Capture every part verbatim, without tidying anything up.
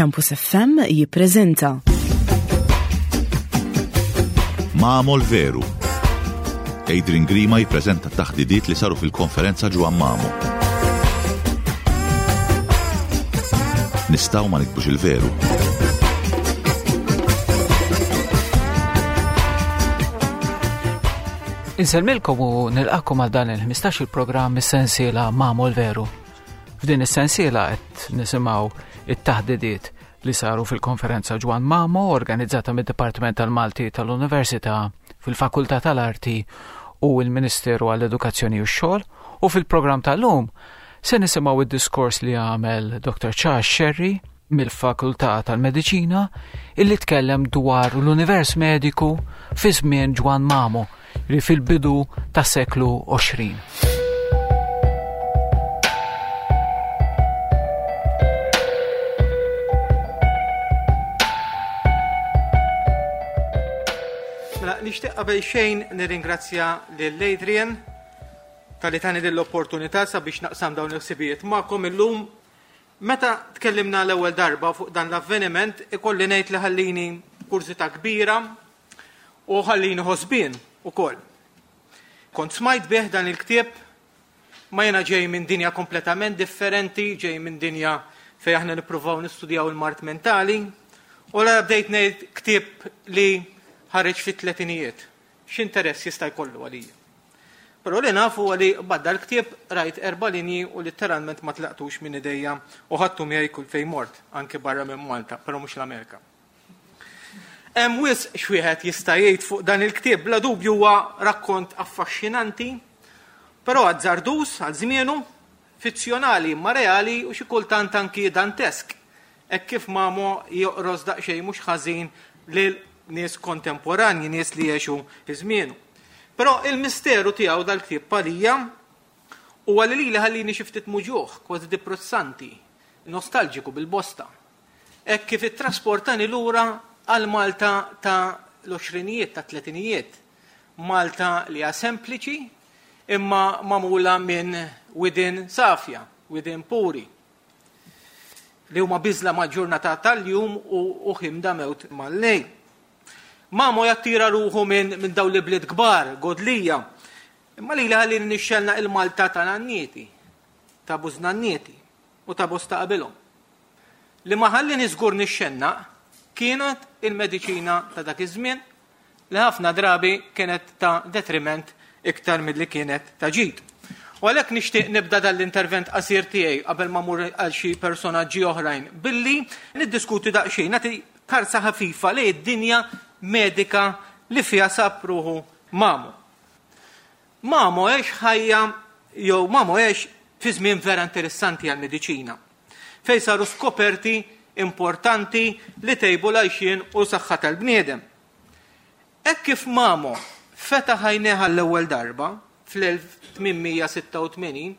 Campus F M jippreżenta Mamo l-Veru. Adrian Grima jippreżenta taħdidiet li saru fil-konferenza Ġwann Mamo. Nistgħu ma niktbux il-veru. Insellmilkom u nilqakom għal dan il-ħmistax il-programm is-sensiela Mamo l-Veru. F'din is-sensiela qed nisimgħu it-taħdidiet li saru fil-konferenza Ġwann Mamo organizzata mid-Dipartiment tal-Malti tal-Università fil-Fakultà tal-Arti u l-Ministeru għall-Edukazzjoni u x-Xogħol, u fil-programm tal-lum se nisimgħu id-diskors li għamel Doktor Charles Scerri mill-Fakultà tal-Mediċina illi tkellem dwar l-univers mediku fi żmien Ġwann Mamo li fil-bidu tas-seklu għoxrin. Mela, nixtieq qabel xejn nirringrazzja lil Adrian talli tani din l-opportunità sabiex naqsam dawn il-ħsibijiet magħkom illum. Meta tkellimna l-ewwel darba fuq dan l-avveniment, ikolli ngħid li ħallini kurżità kbira u ħallini ħosbien ukoll. Kont smajt bih dan il-ktieb, ma jiena ġej minn dinja kompletament differenti, ġej minn dinja fejn aħna nippruvaw nistudjaw il-mard mentali, u la bdejt ngħid ktieb li ħareġ fit-tletinijiet. X'interess jista' jkollu għalija? Però li nafu għali badda l-ktieb rajt erba' linji u letteralment ma tlaqtux minn idejja u ħadtu miegħi kull fejn mort, anke barra minn Malta, però mhux l-Amerika. Hemm wisq x'wieħed jista' jgħid fuq dan il-ktieb, bla dubju huwa rakkont affaxxinanti, però azzardus għal żmienu, fizzjonali imma reali u xi kultant anki dantesk, hekk kif Mamo joqros daqsxejn mhux ħażin lil nies kontemporanji, nies li jgħixu fi żmienu. Però il-misteru tiegħu dal-ktieb palija huwa li lili ħallini xi ftit muġuħ, kważi depressanti, nostalġiku bil-bosta. Hekk kif ittrasportani lura għal Malta ta' l-għoxrinijiet, ta' tletinijiet. Malta li hija sempliċi imma magħmula minn widien safja, widien puri, li huma biżla mal-ġurnata tal-jum u, u ħimda mewt mal-lejl. Mamo jattira ruħu minn, minn dawn li bliet kbar, godlija. Imma li ħalli nixxelna il-Malta ta' nannieti, ta' bużnannieti u ta' bosta qabilhom. Li ma ħalli niżgur nixxenna kienet il-mediċina ta' dak iż-żmien li ħafna drabi kienet ta' detriment iktar milli kienet ta' ġid. U għalhekk nixtieq nibda dal-intervent qasir tiegħi qabel ma mmur għal xi personaġġi oħrajn billi niddiskuti daqsxejn, nagħti karsa ħafifa lejn id-dinja medika li fiha sab ruħu Mamo. Mamo għex ħajja jew Mamo għex fi żmien vera interessanti għall-mediċina, fejn saru skoperti importanti li tejbu l-għajxien u saħħa tal-bniedem. Hekk kif Mamo fetaħ għajnejh għall-ewwel darba fl-elf tmien mija sitta u tmenin,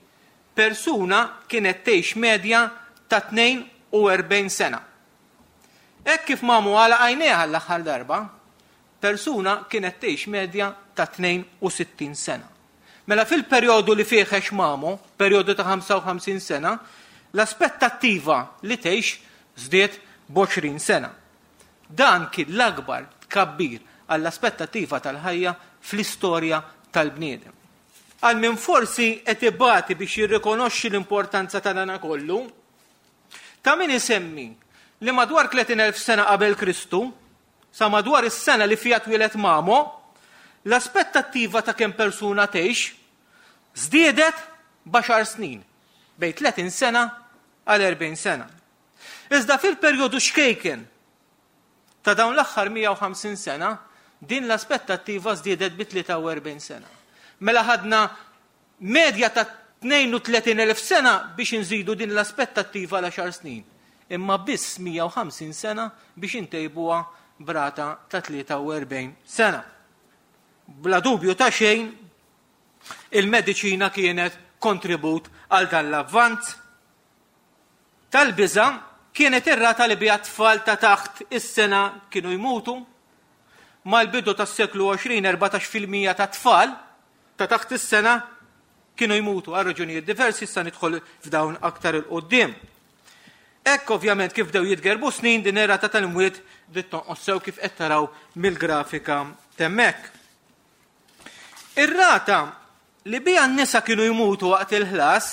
persuna kienet tgħix medja ta' tnejn u erbgħin sena. Hekk kif Mamo għalaq għajnejh għall-aħħar darba, persuna kienet tgħix medja ta' tnejn u sittin sena. Mela fil-perjodu li fih għex Mamo, perjodu ta' ħamsa u ħamsin sena, l-aspettattiva li tgħix żdiet b'għoxrin sena. Dan kien l-akbar tkabbir għall-aspettattiva tal-ħajja fl-istorja tal-bniedem. Għal min forsi qed ibati biex jirrikonoxxi l-importanza ta' dan kollu, ta' min isemmi li madwar tletin elf sena qabel Kristu, sa madwar is-sena li fiha twieled Mamo, l-aspettattiva ta' kemm persuna tgħix żdiedet b'għaxar snin, bejn tletin sena għal erbgħin sena. Iżda fil-perjodu xkejken ta' dawn l-aħħar mija u ħamsin sena, din l-aspettattiva żdiedet bi tlieta u erbgħin sena. Mela ħadna medja ta' tnejn u tletin elf sena biex inżidu din l-aspettattiva għal għaxar snin, imma biss mija u ħamsin sena biex intejbuha brata ta' tlieta u erbgħin sena. Bla dubju ta' xejn, il-mediċina kienet kontribut għal dan l-avvanz. Tal-biża kienet ir-rata li biha tfal ta' taħt is-sena kienu jmutu. Mal-bidu tas-seklu għoxrin, erbatax fil-mija ta' tfal ta' taħt is-sena kienu jmutu għal raġunijiet diversi, issa nidħol f'dawn aktar il-qoddim. Hekk ovvjament kif bdew jitgerbu snin din ir-rata tal-imwiet bdiet tonqos sew kif qed taraw mill-grafika t'hemmhekk. Ir-rata li biha n-nisa kienu jmutu waqt il-ħlas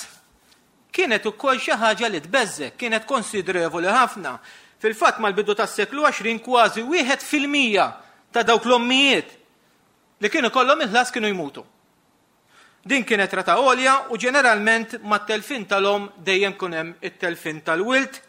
kienet ukoll xi ħaġa li tbeżżek, kienet konsiderevoli ħafna. Fil-fatt mal-bidu tas-seklu għoxrin kważi wieħed fil-mija ta' dawk l-ommijiet li kienu kollhom il-ħlas kienu jmutu. Din kienet rata għolja u ġeneralment mat-telfin tal-om dejjem kun hemm it-telfin tal-wild.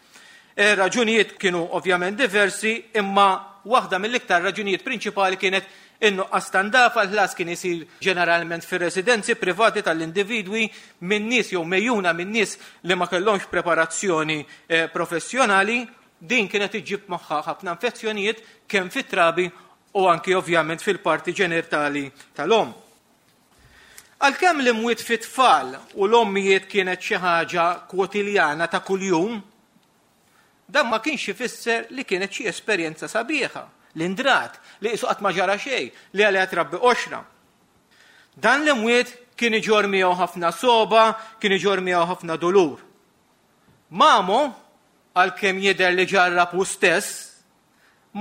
E, raġunijiet kienu ovvjament diversi, imma waħda mill-iktar raġunijiet prinċipali kienet in-nuqqas ta' ndafa. L-ħlas kien isir ġeneralment fir-residenzi privati tal-individwi minn nies jew mejjuna minn nies li ma kellhomx preparazzjoni, eh, professjonali. Din kienet iġġib magħha ħafna infezzjonijiet kemm fit-trabi u anki ovvjament fil-parti ġenitali tal-om. Għalkemm l-imwiet fit-tfal u l-ommijiet kienet xi ħaġa kwotiljana ta' kuljum, dan ma kienx ifisser li kienet xi esperjenza sabiħa, li ndrat, li qisu qatt ma ġara xejn, li għaliha trabbi qoxra. Dan l-imwiet kien iġorr miegħu ħafna soba, kien iġorr miegħu ħafna dolur. Mamo, għalkemm jidher li ġarrab hu stess,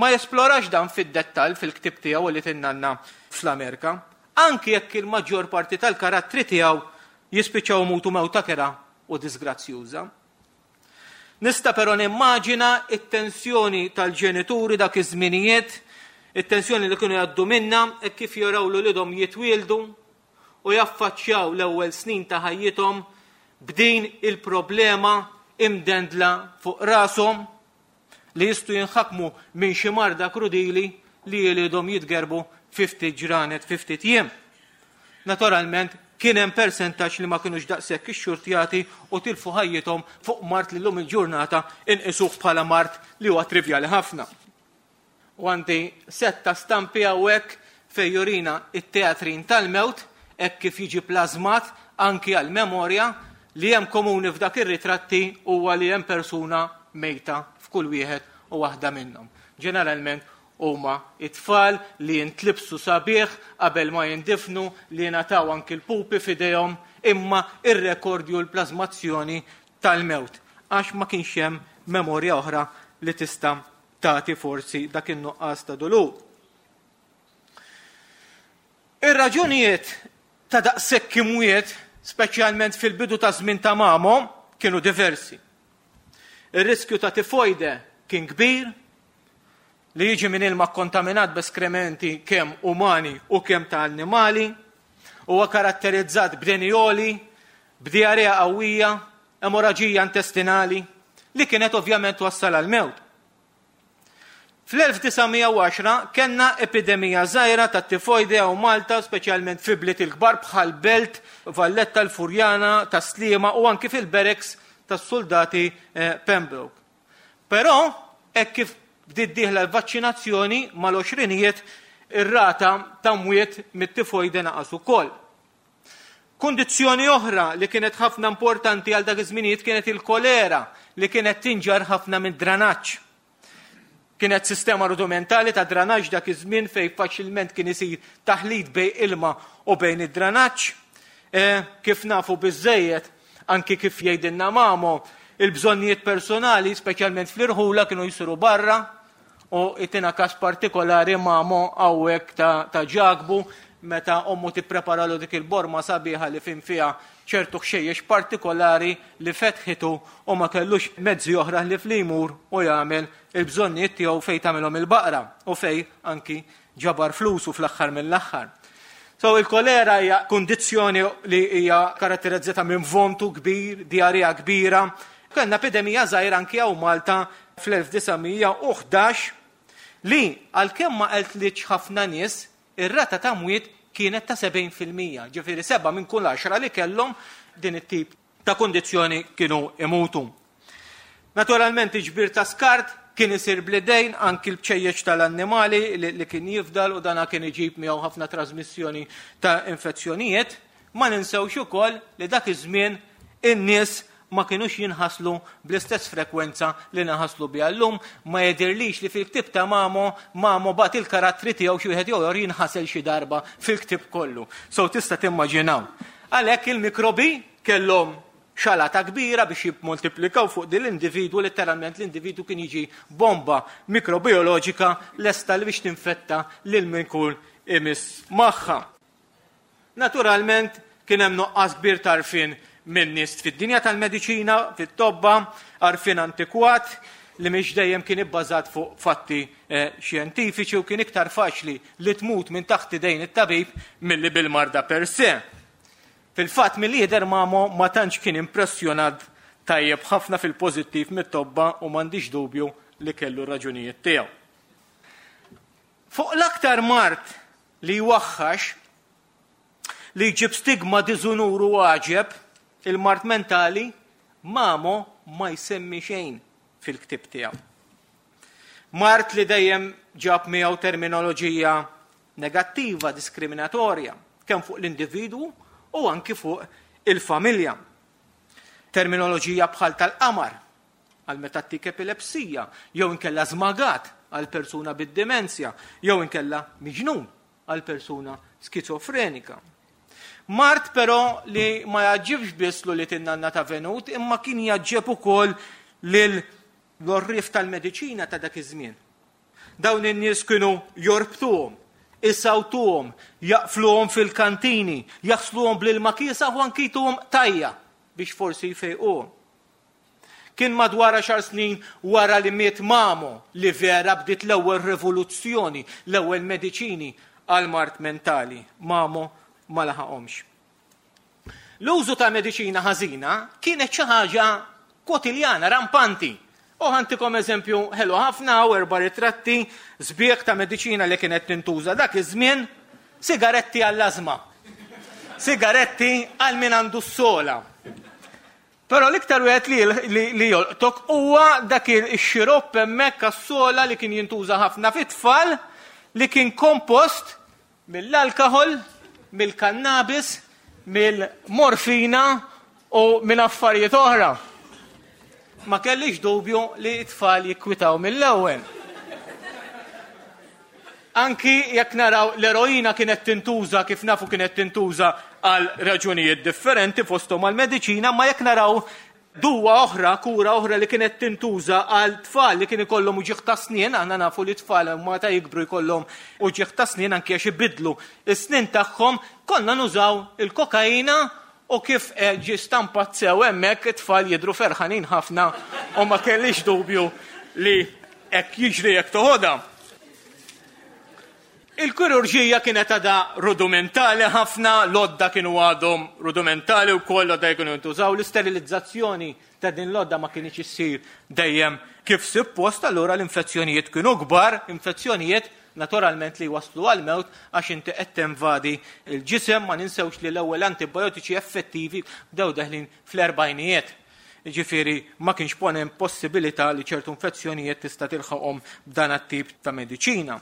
ma jesplorax dan fid-dettall fil-ktieb tiegħu li tinnanna fl-Amerika, anki jekk il-maġġor parti tal-karattri tiegħu jispiċċaw mutu mewta kera u disgrazzjuża. Nista' però nimmaġina it-tensjoni tal-ġenituri dak iż-żminijiet, it-tensjoni li kienu jgħaddu minna e kif jaraw l uliedhom jitwieldu u jaffaċċjaw l-ewwel snin ta' ħajjithom b'din il-problema imdendla fuq rashom li jistgħu jinħakmu minn xi marda krudili li jilidhom jitgerbu fi ftit ġranet, fi ftit jiem. Naturalment, kien hemm persentaġġ li ma kinux daqshekk ixxurtjati u tilfu ħajjithom fuq mard li llum il-ġurnata inqisuh bħala mard li huwa trivjali ħafna. U għandi setta stampi hawnhekk fejn jurina it-teatrin tal-mewt hekk kif jiġi plażmat anki għal-memorja li hemm komuni f'dak ir-ritratti huwa li hemm persuna mejta f'kull wieħed u waħda minnhom. Ġeneralment huma it-tfal li jintlibsu sabiħ qabel ma jindifnu, li jingħataw anki l-pupi f'idejhom, imma ir-rekordju l-plażmazzjoni tal-mewt, għax ma kienx hemm memorja oħra li tista' tagħti forsi dak in-nuqqas ta' dolur. Ir-raġunijiet ta' daqshekk imwiet, speċjalment fil-bidu ta' żmien ta' Mamo, kienu diversi. Ir-riskju ta' tifojde kien kbir, li jiġi minn ilma kontaminat b'eskrementi kemm umani u kemm ta' annimali, huwa karatterizzat b'deni għoli, b'diarrea qawwija, emorraġija intestinali, li kienet ovvjament twassal għal mewt. Fl-elf disa' mija u għaxra kellna epidemija żgħira ta' tifojde hawn Malta, speċjalment fi bliet il-kbar bħal Belt, Valletta, l-Furjana, ta' Sliema u anki fil-barracks tas-soldati, eh, Pembroke. Però, hekk kif bdiet dieħla l-vaċċinazzjoni mal-għoxrinijiet, ir-rata ta' mwiet mit-tifojde naqas ukoll. Kundizzjoni oħra li kienet ħafna importanti għal dak iż-żminijiet kienet il-kolera li kienet tinġar ħafna minn dranaġġ. Kienet sistema rudimentali ta' dranaġġ dak iż-żmien fejn faċilment kien isir taħlit bejn ilma u bejn id-dranaġġ. Eh, kif nafu biżejjed, anki kif jgħidilna Mamo, il-bżonnijiet personali, speċjalment fl-irħula, kienu jsiru barra, u itina kas partikolari Mamo hawnhekk ta', ta' Ġakbu, meta ommu tippreparalu dik il-borma sabiħa li fin fiha ċertu ħxejjex partikolari li fetħitu u ma kellux mezzi oħra li fl-imur u jagħmel il-bżonnijiet tiegħu fejn tagħmilhom il-baqra u fejn anki ġabar flusu fl-aħħar mill-aħħar. So il-kolera hija kundizzjoni li hija karatterizzata minn vomtu kbir, diarrea kbira. Kellna epidemija żgħira anki hawn Malta fl-elf disa' mija u ħdax li għalkemm ma qeltlitx ħafna nies, ir-rata ta' mwiet kienet ta' sebgħin fil-mija, ġifieri seba' minn kull għaxra li kellhom din it-tip ta' kundizzjoni kienu imutu. Naturalment iġbir ta' skart kien isir bl-idejn, anki l-bċejjeċ tal-annimali li, li kien jifdal u dana kien iġib miegħu ħafna trasmissjoni ta' infezzjonijiet. Ma ninsewx ukoll li dak iż-żmien in-nies ma kinux jinħaslu bl-istess frekwenza li naħaslu biha llum. Ma jidhirlix li fil-ktieb ta' Mamo, Mamo bat il-karattri tiegħu xi wieħed jew ieħor jinħasel xi darba fil-ktieb kollu. So tista' timmaġinaw. Għalhekk il-mikrobi kellhom xalata kbira biex jimmultiplikaw fuq din l-individwu, letteralment l-individwu kien jiġi bomba mikrobioloġika lesta li biex tinfetta lil min kull imiss magħha. Naturalment kien hemm nuqqas kbir t'għarfien minn nies fid-dinja tal-mediċina, fit-tobba, għarfien antikwat li mhix dejjem kien ibbażat fuq fatti eh, xjentifiċi u kien iktar faċli li tmut minn taħt idejn it-tabib milli bil-marda per se. Fil-fatt milli jidher Mamo ma tantx kien impressjonat tajjeb ħafna fil-pożittiv mit-tobba u m'għandix dubju li kellu raġunijiet tiegħu. Fuq l-aktar mard li jwaħħax li jġib stigma, diżunur u għaġeb, il-mard mentali, Mamo ma jsemmi xejn fil-ktib tiegħu. Mard li dejjem ġab miegħu terminoloġija negattiva, diskriminatorja, kemm fuq l-individwu u anki fuq il-familja. Terminoloġija bħal tal-qamar għal meta ttik epilepsija, jew inkella żmagat għal persuna bid-demenzja, jew inkella miġnun għal persuna skizofrenika. Mard però li ma jgħaġġibx biss li tinnanna ta' Venut, imma kien jgħaġġeb ukoll lil l-orrif tal-mediċina ta' dak iż-żmien. Dawn in-nies kienu jorbtuhom, isawtuhom, jaqfluhom fil-kantini, jaħsluhom bl-ilma kiesaħ u anki jtuhom tajja biex forsi jfejquhom. Kien madwar għaxar snin wara li miet Mamo li vera bdiet l-ewwel rivoluzzjoni, l-ewwel mediċini għal mard mentali. Mamo ma laħaqhomx. L-użu ta' mediċina ħażina kienet xi ħaġa kwotiljana, rampanti. U ħa ntikom eżempju ħelu ħafna u erba' ritratti sbieħ ta' mediċina li kienet tintuża dak iż-żmien, sigaretti għall-ażma. Sigaretti għal min għandu s-sola. Però l-iktar wieħed li, li, li jolqtok huwa dak ix-xiropp hemmhekk għas-sola li kien jintuża ħafna fit-tfal li kien kompost mill-alkohol, mill-kannabis, mill-morfina u minn affarijiet oħra. Ma kellix dubju li t-tfal jikkwitaw mill-ewwel. Anki jekk naraw l-eroina kienet tintuża, kif nafu kienet tintuża għal raġunijiet differenti fosthom għal mediċina, ma jekk naraw duwa oħra, kura oħra li kienet tintuża għal tfal li kien ikollhom uġigħ ta' snien, aħna nafu li tfal meta jikbru jkollhom uġigħ ta' snien anki għax ibidlu is-snien tagħhom, konna nużaw il-kokaina u kif ġie stampat sew hemmhekk it-tfal jidhru ferħanin ħafna u ma kellix dubju li hekk jiġri jekk toħodha. Il-kirurġija kienet għadha rudimentali ħafna, l-għodda kienu għadhom rudimentali u koll l-għodda kienu jintużaw, l-isterilizzazzjoni ta' din l-għodda ma kienx issir dejjem kif suppost, allura l-infezzjonijiet kienu kbar, infezzjonijiet naturalment li waslu għal-mewt għax inti qed tinvadi l-ġisem. Ma ninsewx li l-ewwel antibiotiċi effettivi bdew deħlin fl-erbgħinijiet. Ġifieri ma kienx hemm possibilità li ċertu infezzjonijiet tista' tilħaqhom b'dan it-tip ta' mediċina.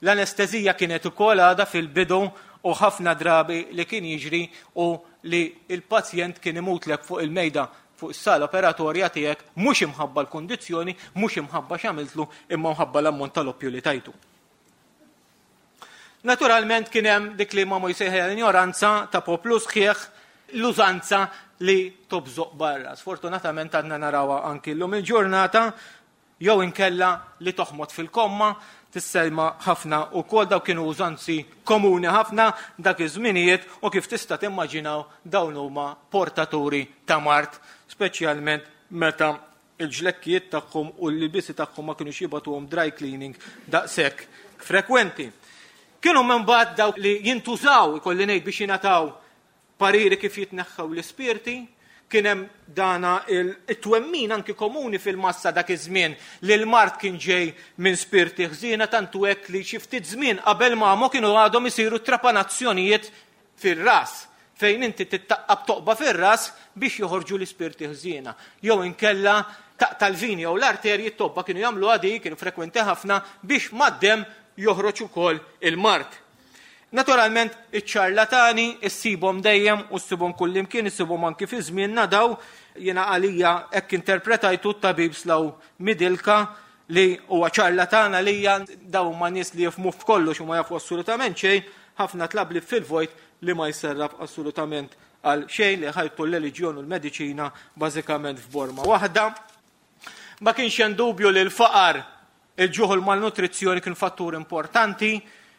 L-anestezija kienet ukoll għadha fil-bidu u ħafna drabi li kien jiġri u li il-pazjent kien imutlek fuq il-mejda fuq is-sala operatorja tiegħek mhux imħabba l-kundizzjoni, mhux imħabba x'għamiltlu, imma mħabba l-ammont tal-oppju li tajtu. Naturalment kien hemm dik li Mamo jsejħilha l-injoranza ta' poplu sħiħ, l-użanza li tobżoq barra. Sfortunatament għadna narawha anki llum il-ġurnata, jew inkella li toħmod fil-komma, tisselma ħafna u kol daw kienu użanzi komuni ħafna dak iż-żminijiet u kif tista' timmaġinaw dawn huma portaturi ta' mard, speċjalment meta il-ġlekkijiet tagħhom u l-libisi tagħhom ma kinux jibgħatuhom dry cleaning daqshekk frekwenti. Kienu minn ba'd dawk li jintużaw, ikolli ngħid, biex jingħataw pariri kif jitneħħew l-ispirti. Kien hemm dana il-twemmin anki komuni fil-massa dak iż-żmien li l-mard kien ġej minn spirti ħżiena, tantu hekk li xi ftit żmien qabel Mamo kienu għadhom isiru trapanazzjonijiet fir-ras, fejn inti tittaqqab toqba fir-ras biex joħorġu l-ispirti ħżiena. Jew inkella taqta' l-vini jew l-arterji, t-tobba kienu jagħmlu għadi, kienu frekwenti ħafna biex mad-demm joħroġ ukoll il-mard. Naturalment, iċ-ċarlatani issibhom dejjem u ssibhom kullimkien, issibhom anki fi żmienna daw. Jiena għalija hekk interpretajtu t-tabib Slaw Midilka li huwa ċarlatan għalija, daw huma nies li jifhmu f'kollox u ma jafu assolutament xejn, ħafna tlablib fil-vojt li ma jserraf assolutament għal xejn, li ħajtu l-reliġjon u l-mediċina bażikament f'borma waħda. Ma kienx hemm dubju li l-faqar, il-ġuħ u l-malnutrizzjoni kien fattur importanti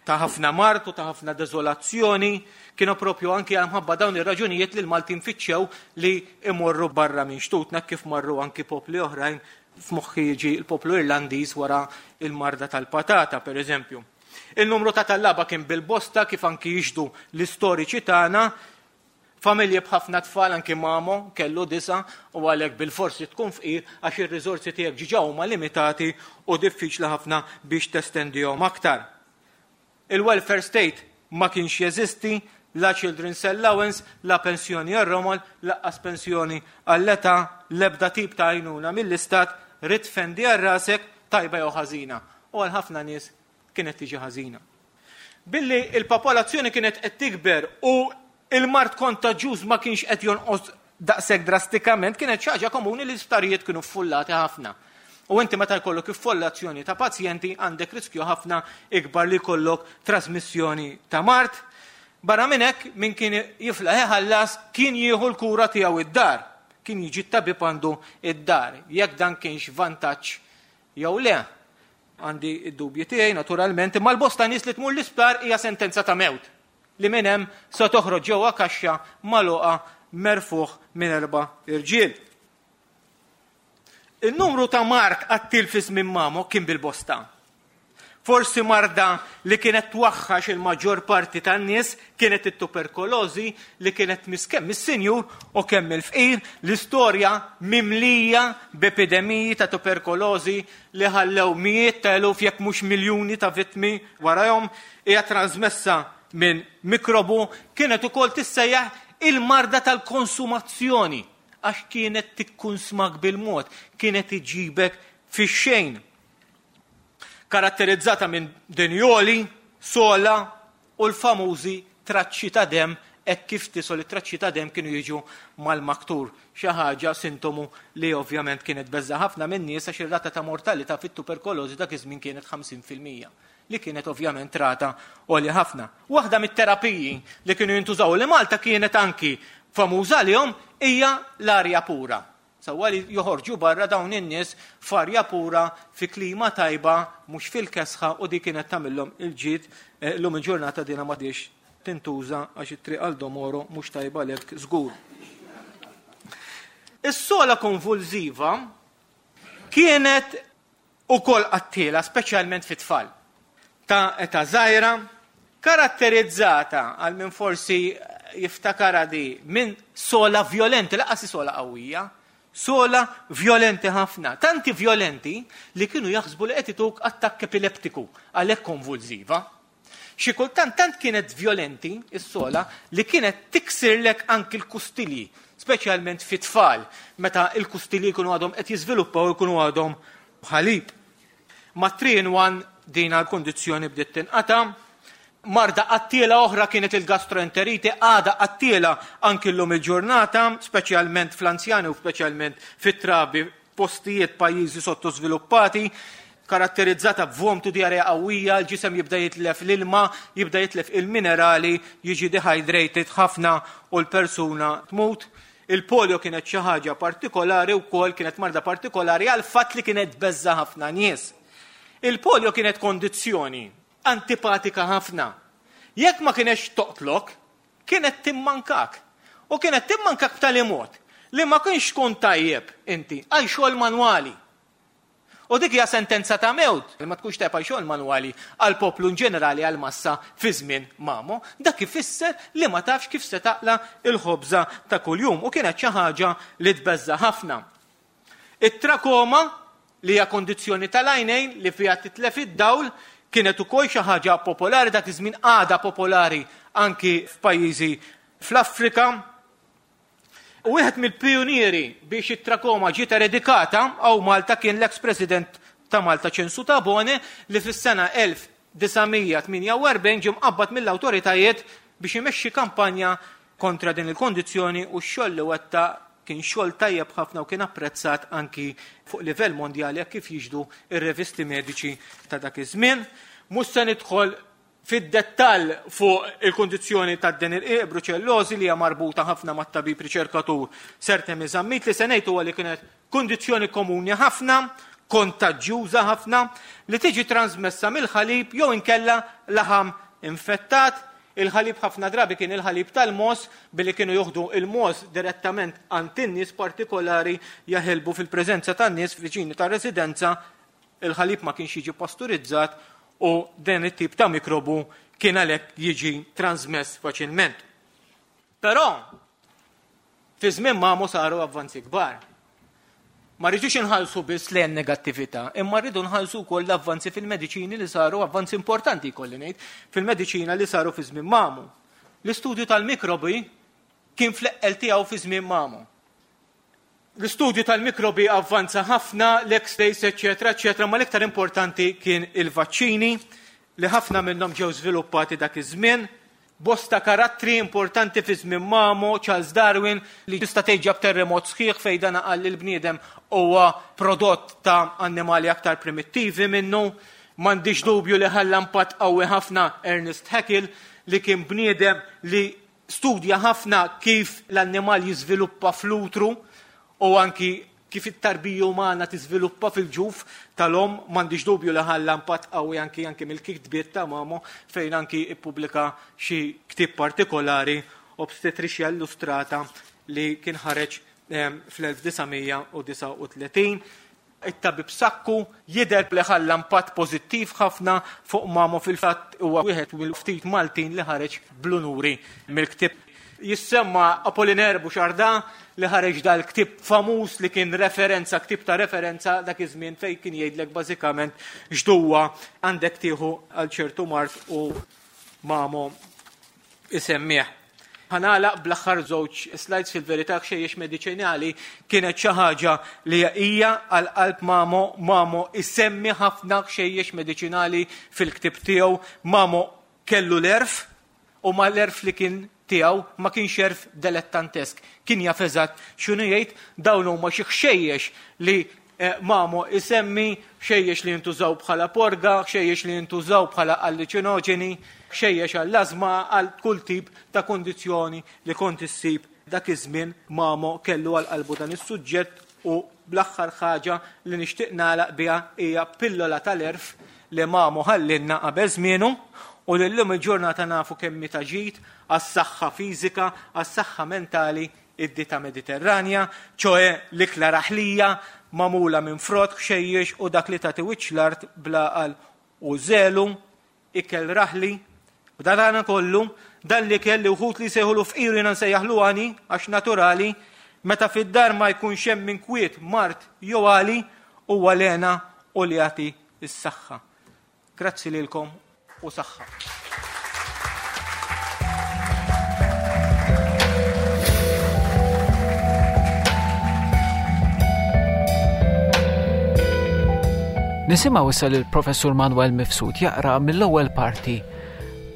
ta' ħafna mard u ta' ħafna deżolazzjoni. Kienu propju anki għal dawn ir-raġunijiet li l-Maltin fittxew li imorru barra minn xtutna, kif marru anki popli oħrajn. F'moħħi jiġi l-poplu Irlandiż wara il-marda tal-patata, per eżempju. Il-numru ta' tallaba kien bil-bosta, kif anki jixhdu l-istoriċi tagħna. Familji b'ħafna tfal, anki Mamo kellu disa, u għalhekk bil-forsi tkun fqir, għax ir-riżorsi tiegħek ġiġa huma limitati u diffiċli ħafna biex testendihom aktar. Il-welfare state ma kienx jeżisti, la children's allowance, la pensjoni għar-romol, lanqas pensjoni għall-età, l-ebda tip ta' għajnuna mill-istat, rid tfendi għal rasek, tajba jew ħażina. U għal ħafna nies kienet tiġi ħażina. Billi il-popolazzjoni kienet qed tikber u il-mard kontaġjuż ma kienx qed jonqos daqshekk drastikament, kienet xi ħaġa komuni li l-isptarijiet kienu ffullati ħafna. U inti meta jkollok iffollazzjoni ta' pazjenti, għandek riskju ħafna ikbar li jkollok trasmissjoni ta' mard. Barra minn hekk, min kien jiflaħ iħallas kien jieħu l-kura tiegħu id-dar. Kien jiġi t-tabib għandu id-dar. Jekk dan kienx vantaġġ jew le, għandi id-dubji tiegħi naturalment, imma l-bosta nies li tmur l-isptar hija sentenza ta' mewt li minn hemm se toħroġ ġewwa kaxxa magħluqa merfuħ minn erba' irġiel. Il-numru ta' mard qattiel fi żmien Mamo kien bil-bosta. Forsi marda li kienet twaħħax il-maġġor parti tan-nies kienet it-tuberkulożi, li kienet tmiss kemm is-sinjur u kemm il-fqir. L-istorja mimlija b'epidemiji ta' tuberkulożi li ħallew mijiet ta' eluf, jekk mhux miljuni, ta' vittmi warahom. Hija trasmessa minn mikrobu, kienet ukoll tissejjaħ il-marda tal-konsumazzjoni għax kienet tikkunsmak bil-mod, kienet iġibek fix-xejn. Karatterizzata minn denjoli, sogħla u l-famużi traċċi ta' dem, hekk kif tisol it-traċċi ta' dem kienu jiġu mal-maktur. Xi ħaġa sintomu li ovvjament kienet beża ħafna minn nies, għax ir-rata ta' mortalità fit-tuberkulożi dak iż-żmien kienet ħamsin fil-mija, li kienet ovvjament rata għolja ħafna. Waħda mit-terapiji li kienu jintużaw, li Malta kienet anki famuża għalihom, hija l-arja pura. Sewwa, li joħorġu barra dawn in-nies f'arja pura, fi klima tajba, mhux fil-kesħa, u di kienet tagħmilhom il-ġid. eh, Illum il-ġurnata dina m'għadhiex tintuża għax it-triq għal Domoro mhux tajba lek żgur. Is-sogħla konvulsiva kienet ukoll qattiela, speċjalment fit-tfal ta' età żgħira, karatterizzata, għal min forsi jiftakara di, minn sogħla violenti, lanqas sogħla qawwija, sogħla violenti ħafna, tanti violenti li kienu jaħsbu li qed ituk attakk epileptiku, għalhekk konvulsiva. Xi kultant tant kienet violenti is-sogħla li kienet tiksirlek anki l-kustilji, speċjalment fit-tfal, meta l-kustilji jkunu għadhom qed jiżviluppaw, jkunu għadhom ħalib. Ma' three in one din għal-kondizzjoni bdiet tinqata'. Marda qattiela oħra kienet il-gastroenteriti, għada qattiela anki llum il-ġurnata, speċjalment fl-anzjani u speċjalment fit-trabi, postijiet, pajjiżi sottosviluppati, karatterizzata b'vomtu, diarrea qawwija, l-ġisem jibda jitlef l-ilma, jibda jitlef il-minerali, jiġi dehydrated ħafna u l-persuna tmut. Il-polio kienet xi ħaġa partikolari wkoll, kienet marda partikolari għal fatt li kienet beża ħafna nies. Il-polio kienet kondizzjoni antipatika ħafna. Jekk ma kienx toqtlok, kienet timmankak. U kienet timmankak b'tali mod li ma kienx tkun tajjeb inti għal xogħol manwali. U dik hija sentenza ta' mewt, li ma tkunx tajjeb għal xogħol manwali għal poplu in ġenerali, għal massa fi żmien Mamo, dak ifisser li ma tafx kif se taqla il-ħobża ta' kuljum, u kienet xi ħaġa li tbeżza ħafna. It-trakoma, li hija kondizzjoni tal-għajnejn li fiha titlef id-dawl, kienet ukoll xi ħaġa popolari dak iż-żmien, għada popolari anki f'pajjiżi fl-Afrika. U wieħed mill-pionieri biex it-trakoma ġiet eredikata hawn Malta kien l-ex-president ta' Malta Ċensu Tabone, li fis-sena elf disa' mija tmienja u erbgħin ġie mqabbad mill-awtoritajiet biex imexxi kampanja kontra din il-kondizzjoni, u x-xogħol li wettaq kien xogħol tajjeb ħafna u kien apprezzat anki fuq livell mondjali, kif jixhdu ir-revisti mediċi ta' dak iż-żmien. Mhux se nidħol fid-dettall fuq il-kundizzjoni tad-deni rqiq, bruċellożi, li hija marbuta ħafna mat-tabib riċerkatur Sir Temi Zammit. Li se ngħid huwa li kienet kundizzjoni komuni ħafna, kontaġġjuża ħafna, li tiġi trasmessa mill-ħalib jew inkella laħam infettat. Il-ħalib ħafna drabi kien il-ħalib tal-mogħoż, billi kienu joħdu il-mogħoż direttament għand in-nies partikolari jaħilbu fil-preżenza tan-nies viċini tar-residenza, il-ħalib ma kienx jiġi pasturizzat u dan it-tip ta' mikrobu kien għalhekk jiġi transmess faċilment. Però fi żmien Mamo saru avvanzi kbar. Ma rridux inħallsu biss lejn negattività, imma rridu nħallsu wkoll l-avvanzi fil-mediċini li saru, avvanzi importanti jkolli ngħid, fil-mediċina li saru fi żmien Mamo. L-istudju tal-mikrobi kien fl-eqqel tiegħu fi żmien Mamo. L-istudju tal-mikrobi avvanza ħafna, l-X-rays, eċċetera, eċċetera, ma l-iktar importanti kien il-vaċċini li ħafna minnhom ġew żviluppati dak iż-żmien. Bosta karattri importanti fi żmien Mamo, Charles Darwin, li tista' tgħid ġab terremot sħiħ fejn dan qal li l-bniedem huwa prodott ta' annimali aktar primittivi minnu. M'għandix dubju li ħalla impatt qawwi ħafna Ernest Haeckel, li kien bniedem li studja ħafna kif l-annimal jiżviluppa fl-utru u anki kif it-tarbija umana tiżviluppa fil-ġuf tal-om. M'għandix dubju li ħalla impatt qawwi anki, anki mill-kitbiet ta' Mamo, fejn anki ippubblika xi ktieb partikolari, Obstetricia Illustrata, li kien ħareġ, ehm, fl-elf disa' mija u disa' u tletin. It-tabib Sakku jidher li ħalla impatt pożittiv ħafna fuq Mamo, fil-fatt huwa wieħed mill-ftit Maltin li ħareġ bl-unuri mill-ktieb. Jissemma Apollinaire Bouchardin, li ħareġ dal-ktieb famuż li kien referenza, ktieb ta' referenza dak iż-żmien, fejn kien jgħidlek bażikament x'duwa għandek tieħu għal ċertu mard u Mamo isemmih. Ħanalaq bl-aħħar żewġ slides. Fil-verità ħxejjex mediċinali kienet xi ħaġa li hija għal qalb Mamo. Mamo isemmi ħafna ħxejjex mediċinali fil-ktieb tiegħu. Mamo kellu l-erf, u ma l-erf li kien tiegħu ma kienx erf dilettantesk, kien jaf eżatt x'inhu jgħid. Dawn huma xi ħxejjex li, eh, Mamo isemmi, ħxejjex li jintużaw bħala porga, ħxejjex li jintużaw bħala alluċinoġeni, ħxejjex għall-ażma, għal kull tip ta' kondizzjoni li kont issib dak iż-żmien. Mamo kellu għal qalbu dan is-suġġett. U bl-aħħar ħaġa li nixtieq nagħlaq biha hija pillola tal-erf li Mamo ħallinna qabel żmienu, u li llum il-ġurnata nafu kemm ta' ġid għas-saħħa fiżika, għas-saħħa mentali, id-dieta Mediterranja, ċoe l-ikla raħlija magħmula minn frott, ħxejjex u dak li tagħti wiċċ l-art bl-għaqal u żelu, ikel raħli. U dan kollu, dan li kelli wħud li jsejħulu fqir, jiena nsejjaħlu għani għax naturali, meta fid-dar ma jkunx hemm minn kwiet, mard jew għali, huwa lena u li jagħti s-saħħa. Grazzi lilkom u saħħa. Nisimgħu issa lill-Professur Manuel Mifsud jaqra mill-ewwel parti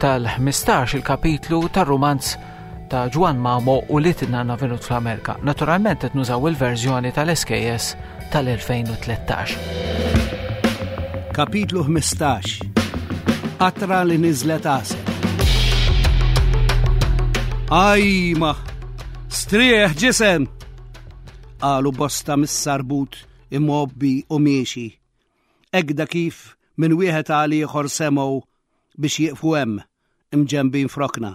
tal-ħmistax il-kapitlu tar-rumanz ta' Ġwann Mamo u li tinna venut fl-Amerika. Naturalment qed nużaw il-verżjoni tal-S K S tal-elfejn u tlettax. Kapitlu ħmistax. Qatra li niżlet għasel. Ajma, strieħ ġisem! Qalu bosta mis-sarbut imgħobbi u miexi. Egda kif minn wieħed għal ieħor semgħu biex jieqfu hemm imġembin frokna.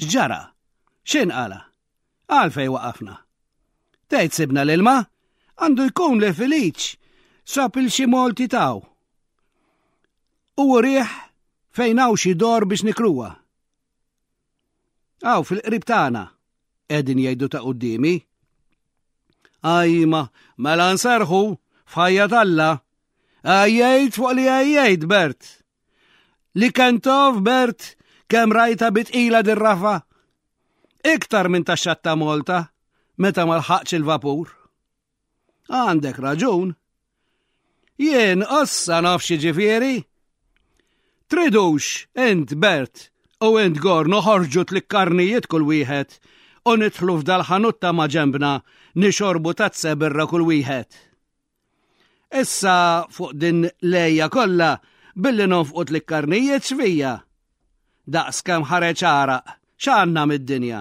X'ġara? X'inqala? Għalfej waqafna? Tgħid sibna l-ilma? Għandu jkun li Feliċ sab il xi molti taw. U rieħ fejn hawn xi dor biex nikruha. Aw fil-qrib tagħna, qegħdin jgħidu ta' quddiemi. Ajma, mela nserħu f'ħajja t'Alla. Għajjejt fuq li għajjejt, Bert. Li kentov, Bert, kemm rajta bitqila dir-rafa. Iktar minn tax-xatt ta' Malta, meta ma lħaqx il-vapur. Għandek raġun. Jien ossa naf xi ġifieri. Tridux, int Bert, u int Gor noħorġu tlikkarnijiet kull wieħed u nidħlu f'dal-ħanut ta' ma' ġembna nixorbu tazza birra kull wieħed. Issa fuq din lejja kollha billi nonfqu tlikkarnijiet x'fija. Daqs kemm ħareġ għaraq, x'għandna mid-dinja?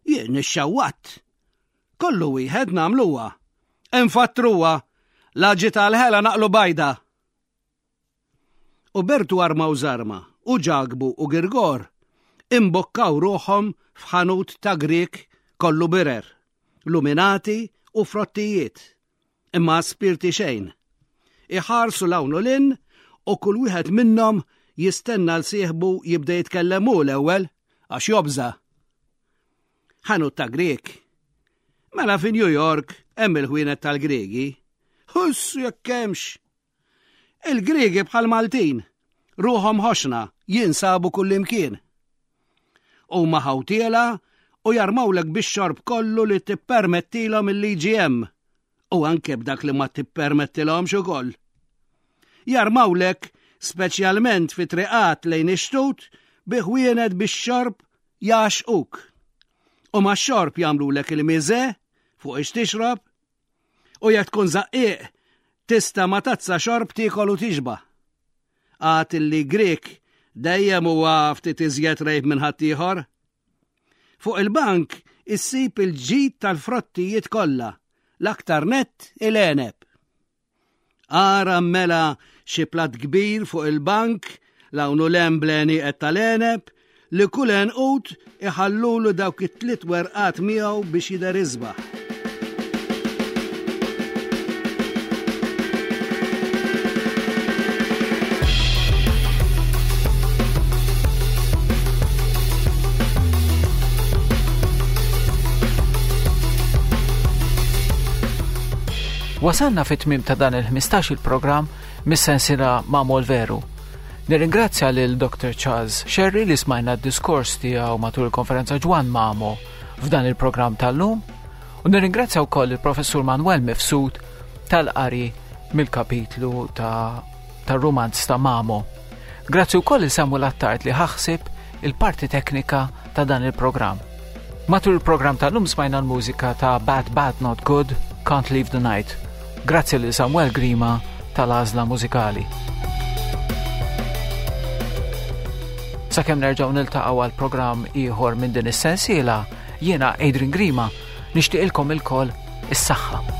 Jien ixxawwatt. Kollu wieħed nagħmluha. Infattruha, la ġiet għall-ħela naqlu bajda. U Bertu arma u żarma, u Ġakbu u Girgor imbokkaw ruħhom f'ħanut ta' Grieg kollu birer, luminati u frottijiet, imma spirti xejn. Iħarsu 'l hawn u 'l hinn u kull wieħed minnhom jistenna 'l sieħbu jibda jitkellem hu l-ewwel għax jobża. Ħanut ta' Grieg. Mela fi New York hemm il-ħwienet tal-Griegi. Huss jekk hemmx. Il-Griegi bħal Maltin, ruħhom ħoxna, jinsabu kullimkien. Huma ħawtiela u jarmawlek bix-xorb kollu li tippermettilhom il-liġi hemm u anke b'dak li ma tippermettilhomx ukoll. Jarmawlek speċjalment fi triqat lejn ix-xtut bi ħwienet bix-xorb jgħaxquk. U ma xorb jagħmlulek il-miże fuq ix tixrob u jekk tkun żaqqieq tista' ma tazza xorb tiekol u tixba'. Għad illi Grek dejjem huwa ftit iżjed rejb minn ħaddieħor. Fuq il-bank issib il-ġid tal-frottijiet kollha, l-aktar nett il-għeneb. Ara mela xi plat kbir fuq il-bank 'l hawn u 'l hemm bl-għenieqed tal-għeneb li kull għenqud iħallulu dawk it-tliet werqat miegħu biex jidher isbaħ. Wasalna fit-tmim ta' dan il-ħmistax il-programm mis-sensiela Mamo l-Veru. Nirringrazzja lil Dr. Charles Scerri li smajna d-diskors tiegħu matul il-konferenza Ġwann Mamo f'dan il-programm tal-lum u nirringrazzja wkoll il-Professur Manuel Mifsud tal-qari mill-kapitlu ta' tar-rumanz ta' Mamo. Grazzi wkoll il Samuel Attard li ħa ħsieb il-parti teknika ta' dan il-programm. Matul il-programm tal-lum smajna l-mużika ta' Bad Bad Not Good, Can't Leave the Night. Grazzi lil Samuel Grima tal-għażla mużikali. Sakemm nerġgħu niltaqgħu għal programm ieħor minn din is-sensiela, jiena Adrian Grima nixtieqilkom ilkoll is-saħħa.